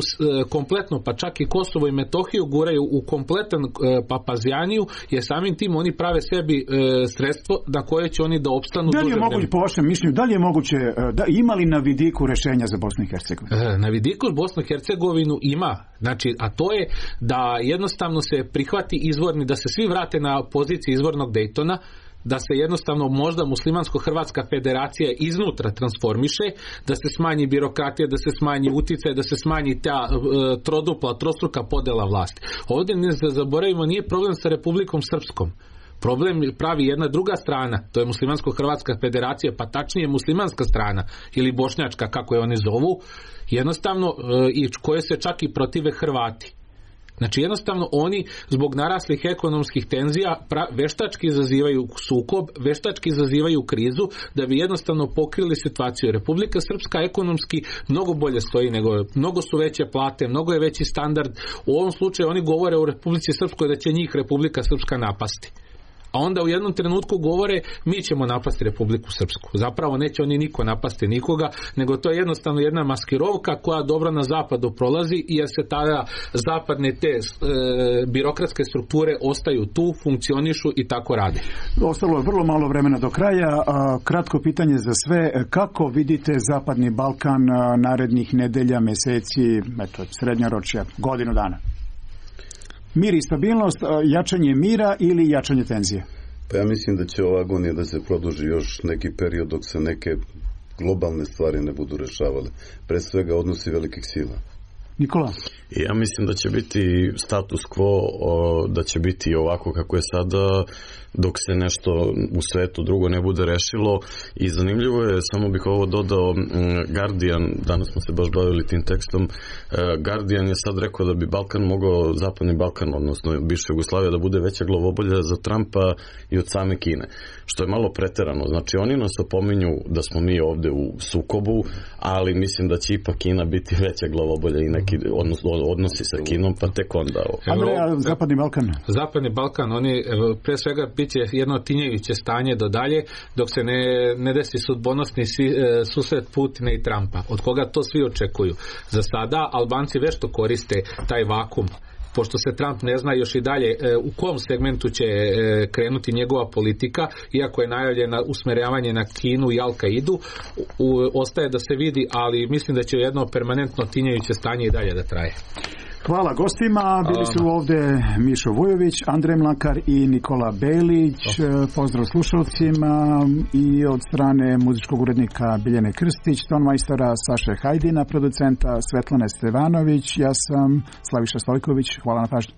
kompletno, pa čak i Kosovo i Metohiju guraju u kompletan e, papazjaniju, jer samim tim oni prave sebi e, sredstvo na koje će oni da opstanu. Da li je moguće, po vašem mišljenju, da li je moguće, da ima li na vidiku rešenja za Bosnu i Hercegovinu? Na vidiku Bosnu i Hercegovinu ima, znači, a to je da jednostavno se prihvati izvorni, da se svi vrate na poziciji izvornog Daytona, da se jednostavno možda muslimansko-hrvatska federacija iznutra transformiše, da se smanji birokratija, da se smanji uticaj, da se smanji ta e, trodupla, trostruka podela vlasti. Ovdje ne zaboravimo, nije problem sa Republikom Srpskom. Problem pravi jedna druga strana, to je muslimansko-hrvatska federacija, pa tačnije muslimanska strana ili bošnjačka, kako je oni zovu, jednostavno e, i koje se čak i protive Hrvati. Znači jednostavno oni zbog naraslih ekonomskih tenzija pra, veštački izazivaju sukob, veštački izazivaju krizu da bi jednostavno pokrili situaciju. Republika Srpska ekonomski mnogo bolje stoji nego, mnogo su veće plate, mnogo je veći standard. U ovom slučaju oni govore o Republici Srpskoj da će njih Republika Srpska napasti. A onda u jednom trenutku govore mi ćemo napasti Republiku Srpsku. Zapravo neće oni niko napasti nikoga, nego to je jednostavno jedna maskirovka koja dobro na zapadu prolazi, jer se tada zapadne te e, birokratske strukture ostaju tu, funkcionišu i tako rade. Ostalo je vrlo malo vremena do kraja. Kratko pitanje za sve. Kako vidite Zapadni Balkan narednih nedelja, meseci, eto, srednjoročja, godinu dana? Mir i stabilnost, jačanje mira ili jačanje tenzije? Pa ja mislim da će ova agonija da se produži još neki period dok se neke globalne stvari ne budu rešavale. Pre svega odnosi velikih sila. Nikola? Ja mislim da će biti status quo, da će biti ovako kako je sada, dok se nešto u svetu drugo ne bude rešilo. I zanimljivo je, samo bih ovo dodao, Guardian, danas smo se baš bavili tim tekstom, Guardian je sad rekao da bi Balkan mogao, zapadni Balkan, odnosno bivša Jugoslavija, da bude veća glavobolja za Trumpa i od same Kine, što je malo preterano. Znači oni nas opominju da smo mi ovde u sukobu, ali mislim da će ipak Kina biti veća glavobolja i neki odnosno odnosi sa Kinom, pa tek onda. Andreja, Zapadni Balkan. Zapadni Balkan, oni pre svega bit će jedno tinjeviće stanje do dalje, dok se ne, ne desi sudbonosni susret Putina i Trumpa, od koga to svi očekuju. Za sada Albanci vešto koriste taj vakum, pošto se Trump ne zna još i dalje u kom segmentu će krenuti njegova politika, iako je najavljeno usmerjavanje na Kinu i Al-Kaidu, ostaje da se vidi, ali mislim da će jedno permanentno tinjeviće stanje i dalje da traje. Hvala gostima, bili su ovdje Mišo Vujović, Andrej Mlakar i Nikola Belić. Pozdrav slušalcima i od strane muzičkog urednika Biljane Krstić, tonmajstora Saše Hajdina, producenta Svetlane Stevanović, ja sam Slaviša Stojković, hvala na pažnju.